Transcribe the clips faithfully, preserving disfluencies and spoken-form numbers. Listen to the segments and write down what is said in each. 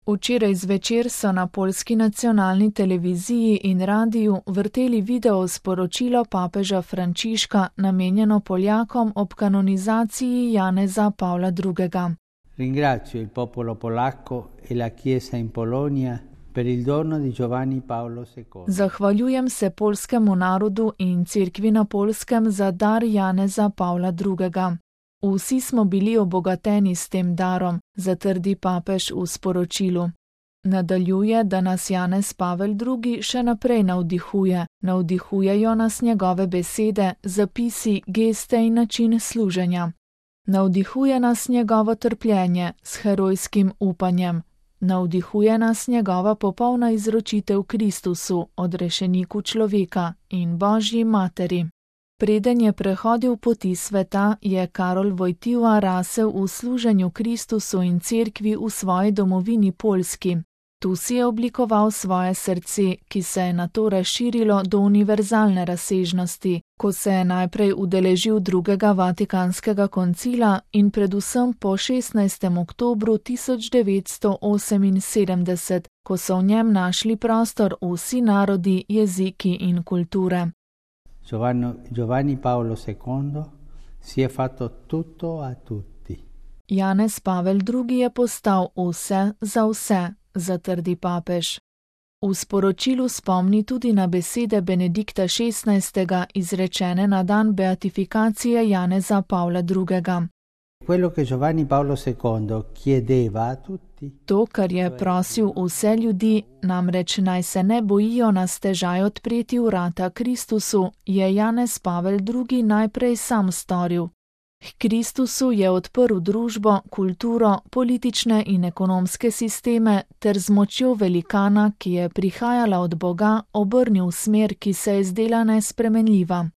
Včeraj zvečer so na poljski nacionalni televiziji in radiju vrteli video sporočilo papeža Frančiška, namenjeno Poljakom ob kanonizaciji Janeza Pavla drugega. Ringrazio il popolo polacco e la Chiesa in Polonia per il dono di Giovanni Paolo secondo. Zahvaljujem se poljskemu narodu in cerkvi na Poljskem za dar Janeza Pavla drugega. Vsi smo bili obogateni s tem darom, zatrdi papež v sporočilu. Nadaljuje, da nas Janez Pavel drugi še naprej navdihuje, navdihujejo nas njegove besede, zapisi, geste in način služenja. Navdihuje nas njegovo trpljenje s herojskim upanjem. Navdihuje nas njegova popolna izročitev Kristusu, odrešeniku človeka in Božji materi. Preden je prehodil poti sveta, je Karol Wojtyła rasel v služenju Kristusu in cerkvi v svoji domovini Poljski. Tu si je oblikoval svoje srce, ki se je nato razširilo do univerzalne razsežnosti, ko se je najprej udeležil drugega Vatikanskega koncila in predvsem po šestnajstem oktobru tisoč devetsto oseminsedemdeset, ko so v njem našli prostor vsi narodi, jeziki in kulture. Giovanni, Giovanni Paolo secondo si je fatto tutto a tutti. Janez Pavel drugi je postal vse za vse, zatrdi papež. V sporočilu spomni tudi na besede Benedikta šestnajstega izrečene na dan beatifikacije Janeza Pavla drugega. Quello che Giovanni Paolo secondo chiedeva a tutti. To, kar je prosil vse ljudi, namreč naj se ne bojijo na stežaj odpreti vrata Kristusu, je Janez Pavel drugi najprej sam storil. K Kristusu je odprl družbo, kulturo, politične in ekonomske sisteme ter z močjo velikana, ki je prihajala od Boga, obrnil smer, ki se je zdela nespremenljiva.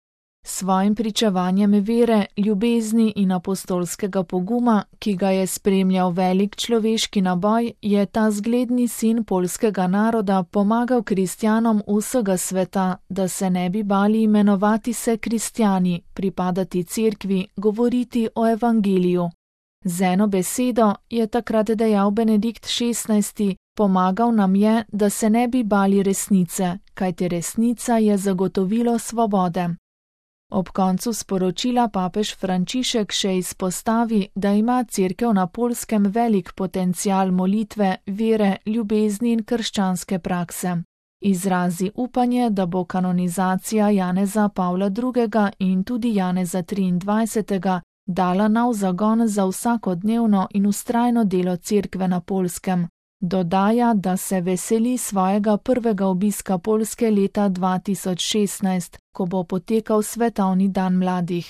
Svojim pričevanjem vere, ljubezni in apostolskega poguma, ki ga je spremljal velik človeški naboj, je ta zgledni sin poljskega naroda pomagal kristjanom vsega sveta, da se ne bi bali imenovati se kristjani, pripadati cerkvi, govoriti o evangeliju. Z eno besedo, je takrat dejal Benedikt šestnajsti, pomagal nam je, da se ne bi bali resnice, kajti resnica je zagotovilo svobode. Ob koncu sporočila papež Frančišek še izpostavi, da ima cerkev na Poljskem velik potencial molitve, vere, ljubezni in krščanske prakse. Izrazi upanje, da bo kanonizacija Janeza Pavla drugega in tudi Janeza triindvajsetega dala nov zagon za vsakodnevno in vztrajno delo cerkve na Poljskem. Dodaja, da se veseli svojega prvega obiska Poljske leta dva tisoč šestnajst, ko bo potekal svetovni dan mladih.